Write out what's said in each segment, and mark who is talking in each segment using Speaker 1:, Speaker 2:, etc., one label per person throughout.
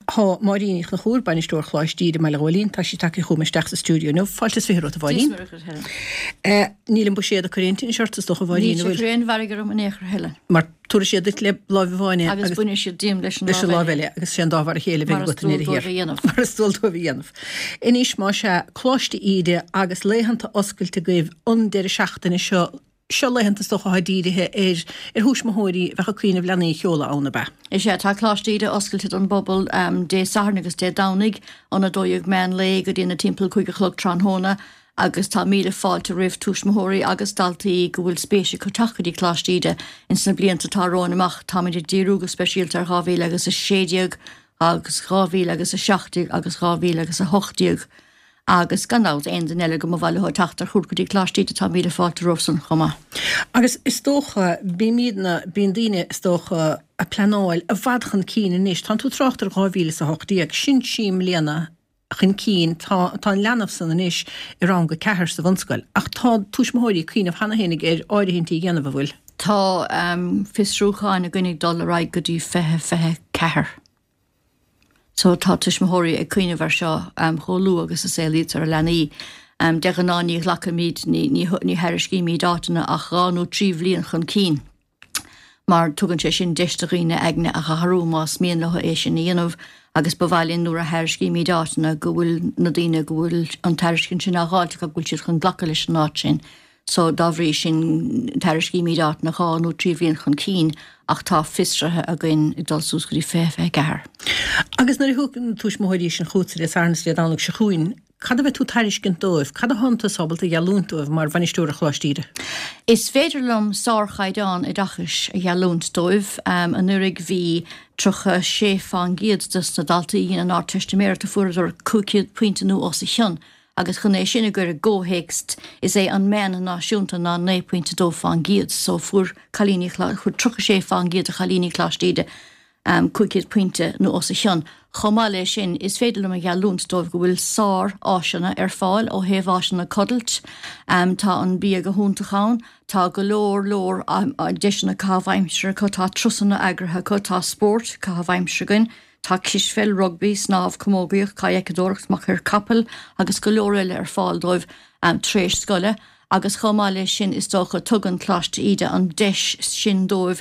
Speaker 1: Tá Máirín Ní Chonchúir, Bainisteoir Choláiste Íde i mBaile Ghóilín, tá sí tagtha chugam isteach sa stiúideo inniu. Fáilte is 20 romhat, a Mháirín.
Speaker 2: Dia is Muire dhuit, Helen.
Speaker 1: Níl an buiséad ag cur aon tinnis ort, is dócha, a Mháirín,
Speaker 2: Níl sé ag cur aon mhairg orm in aon chor, Helen.
Speaker 1: Mar tabharfaidh siad duit le láimh amháin
Speaker 2: é agus. Agus bainfidh siad díom leis an lámh
Speaker 1: eile. Agus sé an dá mhar a chéile a bheidh agat i ndeireadh
Speaker 2: thiar.
Speaker 1: Mar is dual dóibh a dhéanamh. Anois, más ea, Coláiste Íde agus laethanta oscailte agaibh an deireadh seachtaine seo, Seo laethanta is dócha atá dírithe ar ar thuismitheoirí a bheadh ag cuimhneamh leanaí a sheoladh ann, ab ea?
Speaker 2: Is ea, tá Coláiste Íde oscailte don bpobal Dé Sathairn agus Dé Domhnaigh, óna 12 meán lae go dtí na timpeall 5 a chlog tráthnóna agus tá míle fáilte roimh tuismitheoirí agus daltaí go bhfuil spéis acu teacht go dtí Coláiste Íde ins na blianta atá romhainn amach. Táimid ag díriú go speisialta ar 2016 agus 2017 agus 2018. Agus gan dabht, aon duine eile go mba mhaith leo teacht ar chuairt go dtí Coláiste Íde, tá míle fáilte rompu san chomh maith.
Speaker 1: Agus is dócha, bímidne, bíonn daoine, is dócha, ag pleanáil i bhfad chun cinn anois. Tánn tú ag trácht ar 2018, sin trí mbliana chun cinn, tá, tá an leanbh san anois i rang a ceathair sa bhunscoil. Ach tá tuismitheoirí ag cuimhneamh cheana féinig ar áirithintí a dhéanamh, an bhfuil?
Speaker 2: Tá fiosrúcháin againn ag dul ar aghaidh go dtí 2024. So tá tuismitheoirí ag cuimhneamh ar seo chomh luath agus a saolaítear a leanaí. De ghnáth ní ghlacaimid, ní thairiscímid áiteanna ach dhá nó trí bhliain chun cinn mar tugann sé sin deis do dhaoine aigne a athrú más mian leo é sin a dhéanamh agus ba mhaith linn nuair a thairiscímid áiteanna go bhfuil na daoine go bhfuil an tairiscint sin á dháilt acu go bhfuil siad chun glacadh leis an áit sin. So, dá bhrí sin, tairiscímid áiteanna dhá nó trí bhliain chun cinn ach tá fiosruithe againn ag dul suas go dtí 2024.
Speaker 1: Agus nuair a thiocfaidh na tuismitheoirí sin chugatsa Dé Sathairn is Dé Domhnaigh seo chugainn, cad a bheidh tú ag tairiscint dóibh? Cad atánn tusa ábalta a gheallúint dóibh mar bhainisteoir ar Choláiste Íde?
Speaker 2: Is féidir liom sárchaighdeán oideachais a gheallúint dóibh. Anuraidh bhí 36 fán gcéad des na daltaí a dhein an Ardteistiméireacht a fuaireadar 500 pointe nó os a chionn. Agus chun é sin a chur i gcomhthéacs, is é an meán náisiúnta ná 9.2 fán gcéad, so fuair cailíní, fuair 36 fán gcéad de chailíní Choláiste Íde 500 pointe nó os a chionn. Chomh maith le sin, is féidir liom a gheallúint dóibh go bhfuil sár-áiseanna ar fáil ó thaobh áiseanna codlata, tá an bia go hiontach ann, tá go leor leor deiseanna caitheamh aimsire acu, tá turasanna eagraithe acu, tá spórt caitheamh aimsire againn, Tá cispheil, rugbaí, snámh, camógaíocht, cadhcadóireacht, machaire capaill agus go leor eile ar fáil dóibh tar éis scoile agus chomh maith leis sin is dócha tugann Coláiste Íde an deis sin dóibh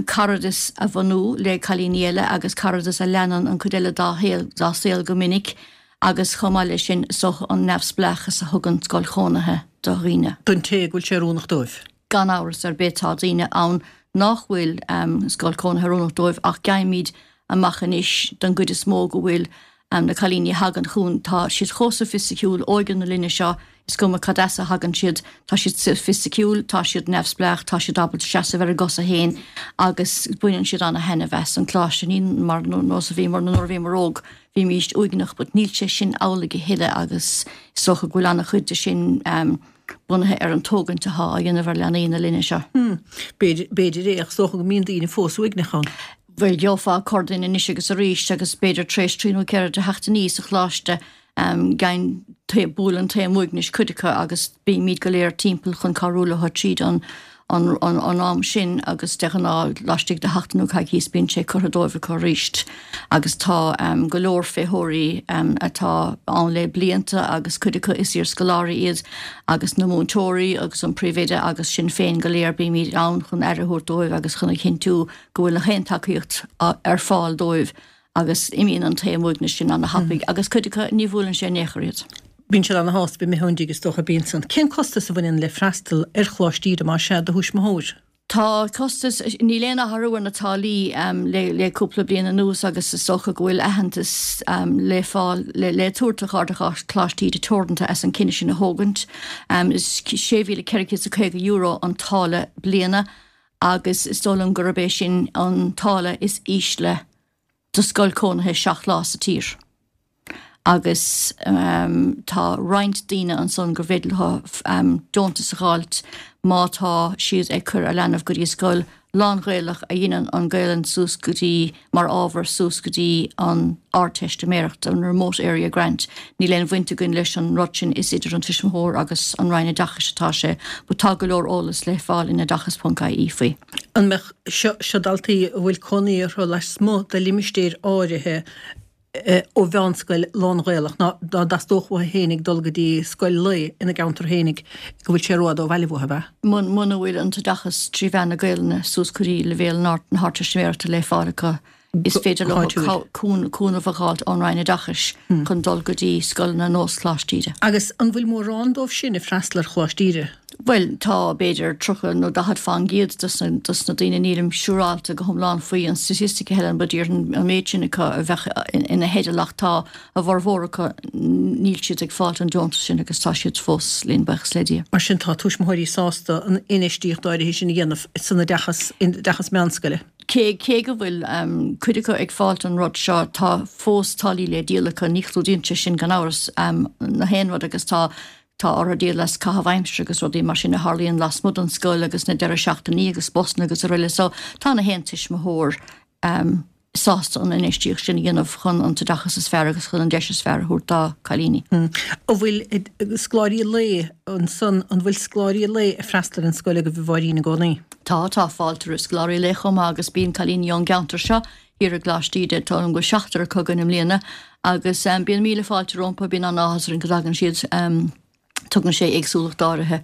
Speaker 2: caradas a bhunú le cailíní eile agus caradas a leanann an cuid eile dá shaol dá saol go minic agus chomh maith leis sin is dócha an neamhspleáchas a thugann scoil chónaithe do dhaoine.
Speaker 1: Don té go bhfuil sé oiriúnach dóibh.
Speaker 2: Gan amhras ar bith tá daoine ann nach bhfuil scoil cónaithe oiriúnach dóibh ach gheibhimid amach anois don gcuid is mó go bhfuil na cailíní a thagann chugainn, tá siad chomh soifisticiúil, óige na linne seo, is cuma cad as a thagann siad, tá siad soifisticiúil, tá siad neamhspleách, tá siad ábalta seasamh ar a gcosa féin agus baineann siad ana-thaitneamh as an gcoláiste. Ní mar nós a bhíomar nuair a bhíomar óg, bhímíst uaigneach but níl sé sin amhlaidh a thuilleadh agus is dócha go bhfuil ana-chuid de sin bunaithe ar an tógaint atá á dhéanamh ar leanaí na linne seo.
Speaker 1: B'fhéidir é, ach is dócha go mbíonn daoine fós uaigneach ann.
Speaker 2: Bhuel, gheofá corrduine anois agus arís agus b'fhéidir tar éis trí nó ceithre de sheachtainí sa choláiste, gheibheann, buaileann taom uaignis cuid acu agus bímid go léir timpeall chun cabhrú leo tríd an an am sin agus de ghnáth laistigh de sheachtain nó coicíos bíonn sé curtha dóibh acu arís agus tá go leor féitheoirí atá ann le blianta agus cuid acu is iarscoláirí iad agus na múinteoirí agus an príomhoide agus sinn féin go léir bímid ann chun aire a thabhairt dóibh agus chun a chinntiú go bhfuil aon tacaíocht ar fáil dóibh agus imíonn an taom uaignis sin ana-thapaidh agus cuid acu ní bhuaileann sé in aon chor iad.
Speaker 1: Bíonn siad ana-shásta bheith imithe ón dtigh is dócha, bíonn san. Cén costas a bhaineann le freastal ar Choláiste Íde más ea do thuismitheoir?
Speaker 2: Tá costas, níl aon athrú ar na táillí le le cúpla bliain anuas agus is dócha go bhfuil aitheantas le fáil le le tabhairt do Chairde Choláiste Íde Teoranta as an cinneadh sin a thógaint. Is €6,450 an táille bliana agus is dóigh liom gurb é sin an táille is ísle do scoil cónaithe 7 lá sa tír. Agus tá roinnt daoine ansan gur féidir leo deontas a dh'fháilt má tá siad ag cur a leanbh go dtí scoil lán-Ghaelach a dheineann an Gaelainn suas go dtí, mar ábhar suas go dtí an Ardteistiméireacht, an Remote Area Grant. Níl aon bhaint againn leis an rud sin, is idir an tuismitheoir agus an Roinn Oideachais atá sé, but tá go leor eolas le fáil in oideachas.ie faoi.
Speaker 1: An mbeadh, seo, seo daltaí a bhfuil cónaí orthu lasmuigh de limistéir áirithe. ó mheánscoil lán-Ghaelach ná dá dteastódh uathu fhéinig dul go dtí scoil lae ina gceantar fhéinig go bhfuil sé rófhada ó bhaile uathu, ab ea?
Speaker 2: Muna bhfuil an t-oideachas trí mheán na Gaelainne suas go dtí leibhéal na hArdteistiméireachta le fáil acu, is féidir leo cúnamh a dh'fháilt ón Roinn Oideachais chun dul go dtí scoileanna ar nós Choláiste Íde.
Speaker 1: Agus an bhfuil mórán dóibh sin ag freastal ar Choláiste Íde?
Speaker 2: Bhuel, tá, b'fhéidir, 30 nó 40 fán gcéad dos na daoine, nílim siúráilte go hiomlán faoi an statistic, a Helen, but déarfainn an méid sin acu a bheadh ina theideal ach tá a bhformhór acu, níl siad ag fáilt an deontas sin agus tá siad fós linn, buíochas le Dia.
Speaker 1: Mar sin tá tuismitheoirí sásta an infheistíocht áirithe sin a dhéanamh san oideachas, in oideachas meánscoile.
Speaker 2: Cé, cé go bhfuil cuid acu ag fáilt an rud seo, tá fós táillí le díol acu, ní chlúdaíonn sé sin gan amhras na haon rud agus tá Tá orthu díol as caitheamh aimsire agus rudaí mar sin a tharlaíonn lasmuigh den scoil agus na deireadh seachtainí agus busanna agus araile so tá na haon tuismitheoir sásta an infheistíocht sin a dhéanamh chun an t-oideachas is fearr agus chun an deis is fearr a thabhairt dá cailíní.
Speaker 1: An bhfuil scoláirí lae ansan, an bhfuil scoláirí lae ag freastal ar an scoil agaibh a Mháirín i gcónaí?
Speaker 2: Tá, tá fáilte roimh scoláirí lae chomh maith agus bíonn cailíní ón gceantar seo thiar i gColáiste Íde, tá go bhfuil seachtar acu againn i mbliana agus bíonn míle fáilte rompu, bíonn an-áthas orainn go dtagann siad, tugann sé éagsúlacht áirithe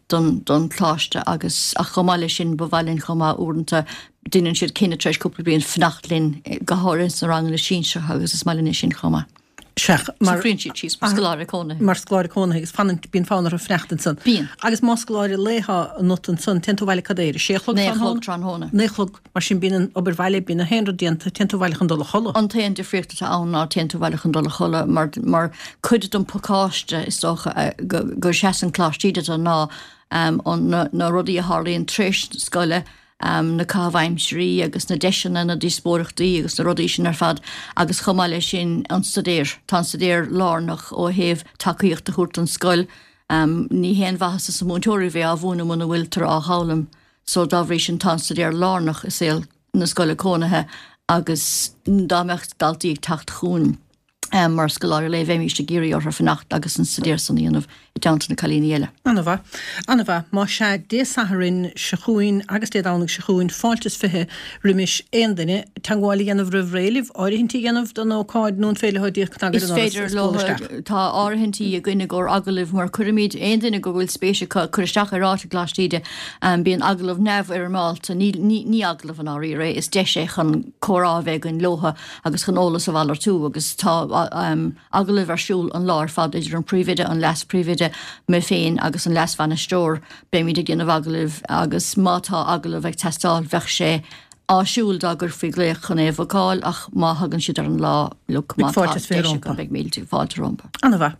Speaker 2: don don choláiste agus ach chomh maith leis sin ba mhaith linn chomh maith uaireanta deineann siad cinneadh tar éis cúpla bliain fanacht linn go háirithe sna ranganna sinsearacha agus is maith linn é sin chomh maith.
Speaker 1: Sea,
Speaker 2: mar. Socraíonn siad síos mar scoláire cónaithe.
Speaker 1: Mar scoláire cónaithe agus fanann, bíonn fonn orthu fanacht ansan.
Speaker 2: Bíonn.
Speaker 1: Agus más scoláire lae atá ionat ansan, téann tú abhaile cad é, ar a sé a chlog
Speaker 2: tráthnóna? Naoi a chlog tráthnóna.
Speaker 1: Naoi a chlog, mar sin bíonn an obair bhaile, bíonn na haon rud déanta, téann tú abhaile chun dul a chodladh.
Speaker 2: An t-aon difríocht atá ann ná téann tú abhaile chun dul a chodladh mar, mar cuid den phacáiste is dócha go, go seasann Coláiste Íde do ná an, na, na rudaí a tharlaíonn tar éis scoile, na caithimh aimsirí agus na deiseanna, na díospóireachtaí agus na rudaí sin ar fad agus chomh maith leis sin an staidéar. Tá an staidéar lárnach ó thaobh tacaíocht a thabhairt don scoil. Ní haon mhaitheas do na múinteoirí a bheith á mhúineadh muna bhfuiltear á dh'fhoghlaim so dá bhrí sin tá an staidéar lárnach i saol na scoile cónaithe agus dá mbeadh daltaí ag teacht chugainn, Mar scoláirí lae bheimíst ag iarraidh orthu fanacht agus an staidéar san a dhéanamh i dteannta na cailíní eile.
Speaker 1: Ana-mhaith. Ana-mhaith. Más ea, Dé Sathairn seo chugainn agus Dé Domhnaigh seo chugainn, fáilte is 20 roimis aon duine teagmháil a dhéanamh roimh ré libh, áirithintí a dhéanamh don ócáid nó an féidir leo díreach cnagadh ar
Speaker 2: Is an doras féidir is bualadh leo, isteach? tá áirithintí againn i gcomhair agallaimh mar cuirimid aon duine go bhfuil spéis acu cur isteach ar áit i gColáiste Íde, bíonn agallamh neamhfhoirmeálta, ní, ní, ní agallamh i ndáiríre é, is deis é chun comhrá a bheith againn leotha agus chun eolas a mhalartú agus tá agallaimh ar siúl an lá ar fad idir an Príomhoide, an Leas-Phríomhoide, mé féin agus an Leas-Bhainisteoir. Beimid ag déanamh agallaimh agus má tá agallamh ag teastáil bheadh sé áisiúil dá gcuirfí glaoch chun é a bhookáil ach má thagann siad ar an lá, look, má tá deis acu beidh mílte fáilte rompu.
Speaker 1: Ana-mhaith.